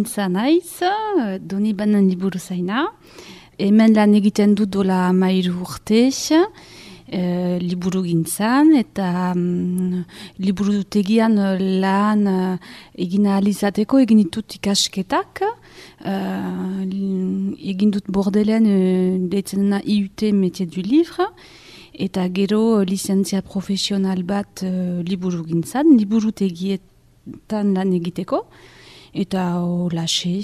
gintza naiz, Donibanen liburuzaina. Hemen lan egiten dut dola 13 urte, liburu gintzan, eta liburutegian lan egin ahal izateko egin ditut ikasketak. Egin dut Bordelen deitzen dena IUT Métier du Livre, eta gero lizentzia profesional bat liburu gintzan, liburutegietan lan egiteko. Eta holaxe,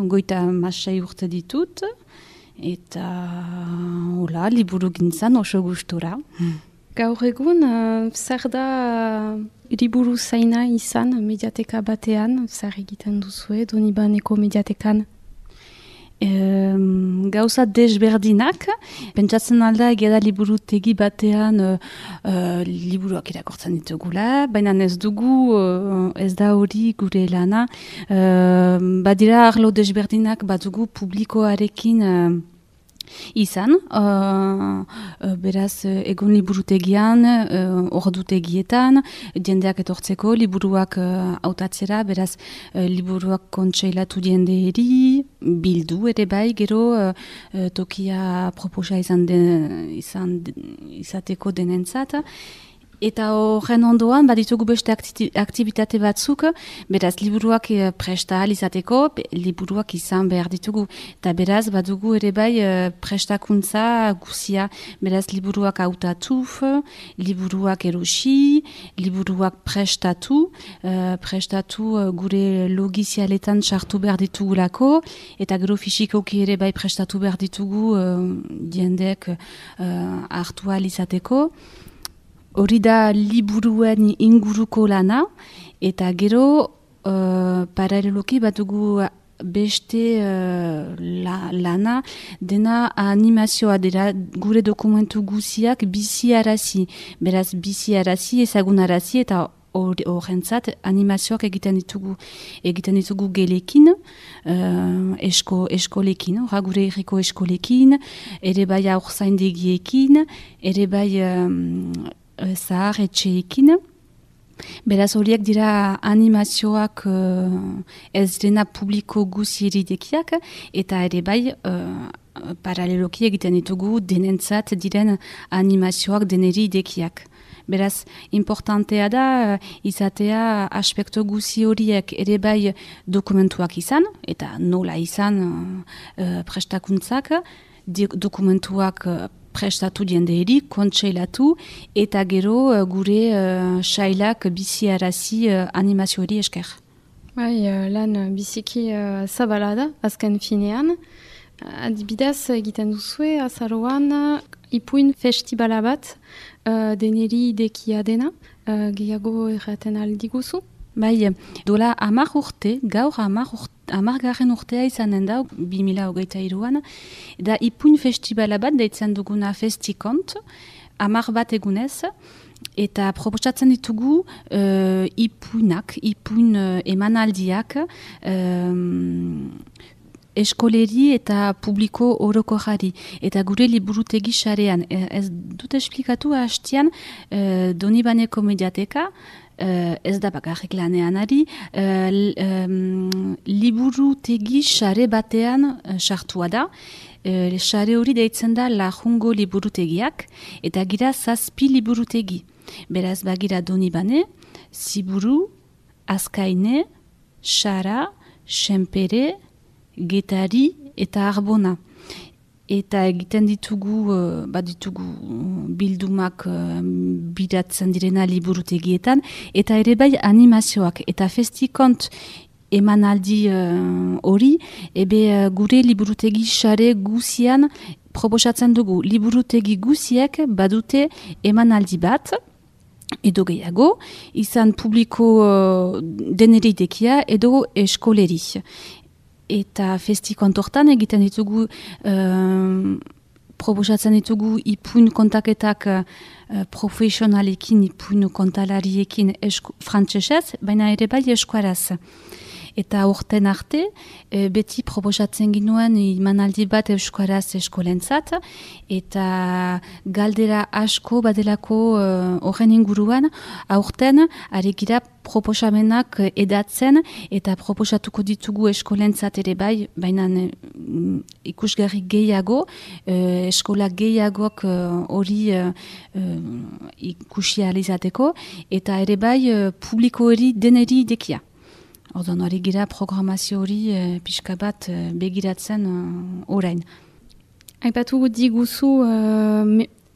goita masai urte ditut, eta hola, liburu gintzan oso gustura. Gaur egun, zer da liburu zaina izan mediateka batean, zer egiten duzue, Donibaneko mediatekan? Gauza desberdinak, pentsatzen alda egeda liburutegi batean liburuak irakortzen ditugula, baina ez dugu, ez da hori gure lana. Badira arlo desberdinak badugu publikoarekin izan, beraz egun liburutegian, ordutegietan, jendeak etortzeko, liburuak hautatzera, beraz liburuak kontseilatu jenderi, bildu ere bai, gero tokia proposa izateko denentzat. Eta horren ondoan, baditugu beste aktibitate batzuk, beraz, liburuak presta ahal izateko, liburuak izan behar ditugu. Eta beraz, badugu ere bai prestakuntza guzia, beraz, liburuak hautatu, liburuak erosi, liburuak prestatu gure logizialetan sartu behar ditugulako, eta gero fisikoki ere bai prestatu behar ditugu jendeek hartu ahal izateko. Hori da liburuen inguruko lana, eta gero paraleloki batugu beste lana, dena animazioa dira gure dokumentu guziak biziarazi. Beraz biziarazi, ezagunarazi, eta horrentzat animazioak egiten ditugu gelekin, eskolekin, gure herriko eskolekin, ere bai haurzaindegiekin, ere bai zahar etxeekin. Beraz horiek dira animazioak ez dena publiko guziridekiak, eta ere bai paraleloki egiten ditugu denentzat diren animazioak deneri idekiak. Beraz, importantea da izatea aspektu guzi horiek ere bai dokumentuak izan, eta nola izan prestakuntzak, dokumentuak prestatu jenderi, kontseilatu, eta gero gure sailak biziarazi animazio hori esker. Bai, lan biziki zabala da, azken finean. Adibidez egiten duzue, azaroan ipuin festibala bat, deneri idekia dena, gehiago erraten aldiguzu? Bai, dola 10 urte, gaur 10garren urtea izanen da, 2023an, da ipuin festibala bat deitzen duguna Festikont, 10 bat egunez, eta proposatzen ditugu ipuin emanaldiak, eskoleri eta publiko orokorrari. Eta gure liburutegi sarean, ez dut esplikatu hastian, Donibaneko mediateka, ez da bakarrik lanean ari, liburutegi sare batean sartua da. Sare hori deitzen da Lajungo liburutegiak, eta gira 7 liburutegi. Beraz bagira Donibane, Ziburu, Azkaine, Sara, Senpere, Getari eta Arbona. Eta egiten ditugu bildumak bidatzen direna liburutegietan, eta ere bai animazioak. Eta Festikont emanaldi hori, gure liburutegi sare guzian proposatzen dugu. Liburutegi guziek badute emanaldi bat, edo gehiago, izan publiko deneri dekia edo eskoleri. Eta Festikont hortan egiten ditugu, proposatzen ditugu ipuin kontaketak profesionalekin, ipuin kontalariekin frantsesez, baina ere bai eskuaraz. Eta urten arte, beti proposatzen ginuen imanaldi bat euskaraz eskolentzat, eta galdera asko badelako horren inguruan, aurten aregira proposamenak edatzen eta proposatuko ditugu eskolentzat ere bai, baina ikusgarri gehiago, eskola gehiagok hori ikusi ahal izateko, eta ere bai publiko hori deneri dekia. Orduan hori gira programazio hori pixka bat begiratzen orain. Aipatu diguzu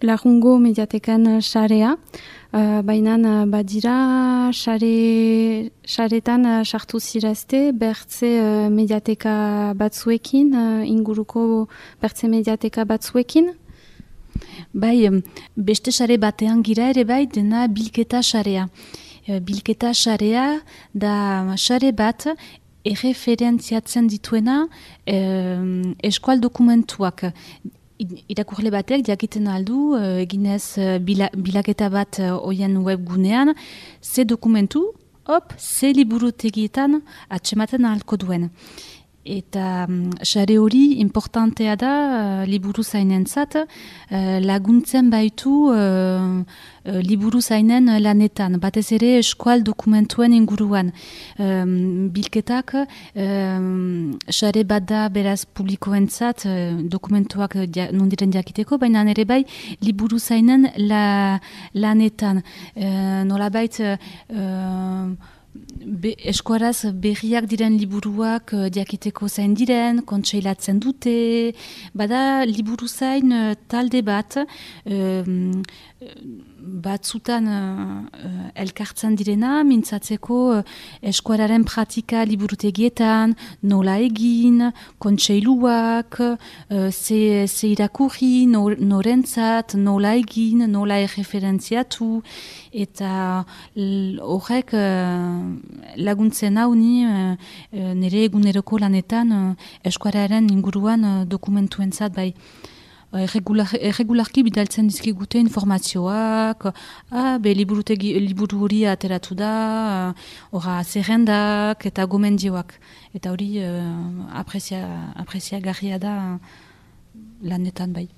Larrungo mediatekan sarea, baina badira saretan sartu zirazte bertze mediateka batzuekin, inguruko bertze mediateka batzuekin? Bai, beste sare batean gira ere bai dena bilketa sarea. Bilketa sarea da sare bat erreferentziatzen dituena eskual dokumentuak. Irakurle batek jakiten aldu, eginez bilaketa bat oien webgunean, ze dokumentu, ze liburutegietan atsematen ahalko duen. Eta sare hori importantea da liburu zainentzat, laguntzen baitu liburu zainen lanetan, batez ere eskual dokumentuen inguruan. Bilketak sare bat da beraz publikoentzat dokumentuak nondiren jakiteko, baina ere bai liburu zainen lanetan. Nolabait eskuaraz berriak diren liburuak jakiteko zain diren, kontseilatzen dute, bada liburu zain talde bat, batzutan elkartzen direna, mintzatzeko eskuararen pratika liburutegietan, nola egin, kontseiluak, ze irakurri, norentzat, nola egin, nola erreferentziatu, eta horrek laguntzen hau ni nire eguneroko lanetan eskuararen inguruan dokumentuentzat bai. Erregularki bidaltzen dizkigute informazioak, liburu hori ateratu da, zerrendak eta gomendioak. Eta hori apreziagarria da lanetan bai.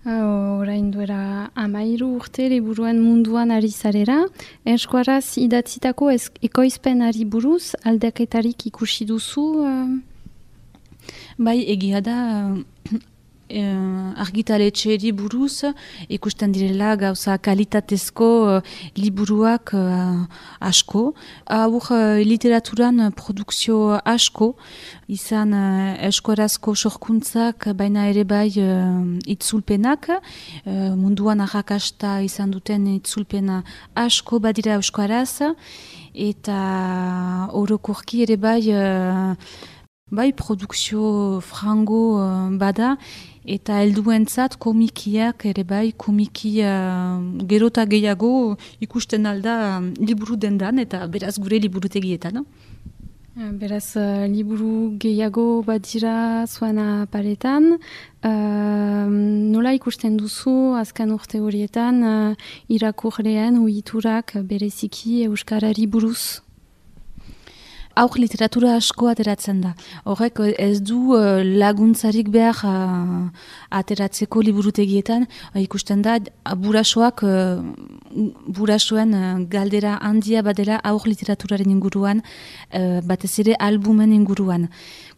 Orain duera 13 urte liburuen munduan ari zarera, eskuaraz idatzitako ekoizpenari buruz aldaketarik ikusi duzu? Bai, egia da argitaletxeari buruz ikusten direla gauza kalitatezko liburuak asko. Hor literaturan produkzio asko, izan eskuarazko sorkuntzak, baina ere bai itzulpenak, munduan arrakasta izan duten itzulpena asko badira eskuaraz, eta orokorki ere bai produkzio frango bada, eta helduentzat komikiak ere bai gero eta gehiago ikusten alda liburu dendan eta beraz gure liburutegietan. Beraz liburu gehiago badira zuena paretan. Nola ikusten duzu azken urte horietan irakurleen uhiturak bereziki euskarari buruz? Aur literatura asko ateratzen da. Horrek ez du laguntzarik behar ateratzeko liburutegietan. Ikusten da burasoen galdera handia badela aur literaturaren inguruan, batez ere albumen inguruan.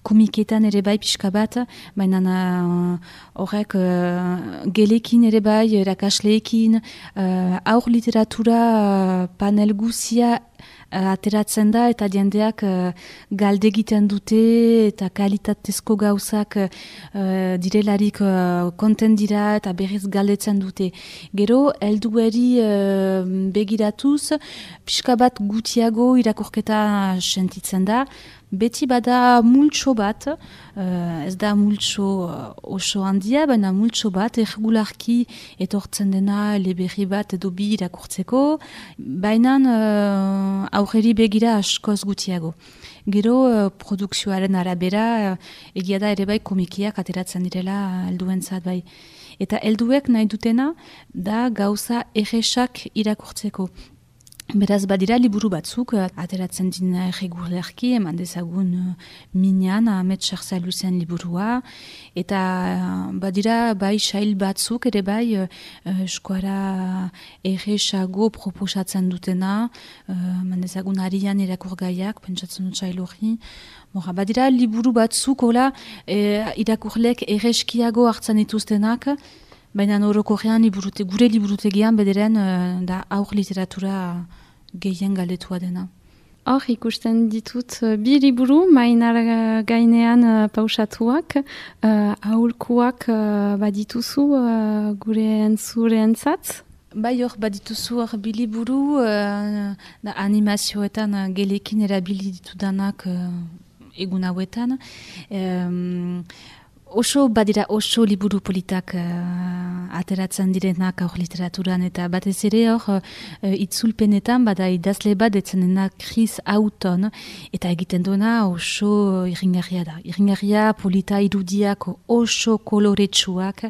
Komiketan ere bai pixka bat, baina horrek gelekin ere bai, erakasleekin, aur literatura panel guzia ateratzen da eta jendeak galde egiten dute eta kalitatezko gauzak direlarik konten dira eta berriz galdetzen dute. Gero, heldueri begiratuz, pixka bat gutiago irakurketa sentitzen da, beti bada multso bat, ez da multso oso handia, baina multso bat, erregularki etortzen dena eleberri bat edo bi irakurtzeko, baina aurreri begira askoz gutiago. Gero produkzioaren arabera, egia da ere bai komikiak ateratzen direla helduentzat bai. Eta helduek nahi dutena da gauza erresak irakurtzeko. Beraz, badira liburu batzuk, ateratzen dina erregulerki, eman dezagun minean, Ahmet Sarzaluzen liburua, eta badira bai sail batzuk, ere bai eskuara erresago proposatzen dutena, eman dezagun arian irakurgaiak, pentsatzen dut sail hori. Badira liburu batzuk, hola, irakurlek erreskiago hartzen dituztenak, baina orokorrean gure liburutegian bederen da aur literatura gehien galetua dena. Hor ikusten ditut bi liburu, mainar gainean pausatuak, aholkuak badituzu gure entzat? Bai hor badituzu hor bi liburu, animazioetan gelekin erabili ditudanak egun hauetan. Badira oso liburu politak ateratzen direnak aur literaturan, eta batez ere hor itzulpenetan bada idazle bat etzenena Chris Houghton, eta egiten duena oso irringarria da. Irringarria, polita, irudiak oso koloretsuak,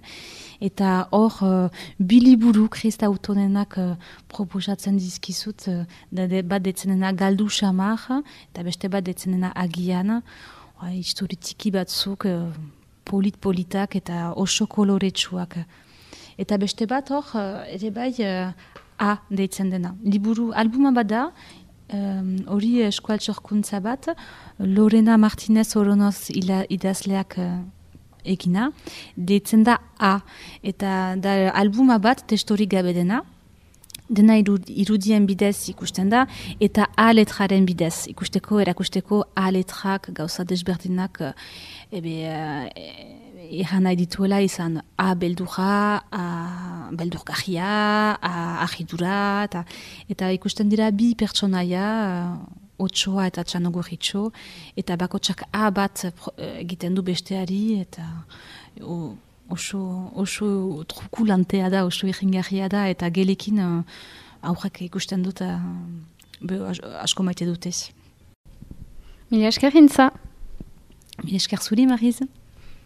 eta hor bi liburu Chris Houghtonenak proposatzen dizkizut, bat etzenena Galdu Xamar, eta beste bat etzenena Agian, historitiki batzuk, politak eta oso koloretsuak. Eta beste bat hor, ere bai A deitzen dena. Albuma bat da, hori eskualtsorkuntza bat, Lorena Martinez Oronoz idazleak egina, deitzen da A. Eta da albuma bat testorik gabe dena irudien bidez ikusten da, eta A letraren bidez erakusteko A letrak gauza desberdinak erran nahi dituela izan A beldurra, A beldurgarria, A argidura, eta ikusten dira bi pertsonaia, Otsoa eta Txanogorritxo, eta bakotsak A bat egiten du besteari, eta oso trukulantea da, oso irringarria da, eta gelekin aurrak ikusten dut asko maite dutez. Mila esker gintza. Mila esker zuri, Mariz.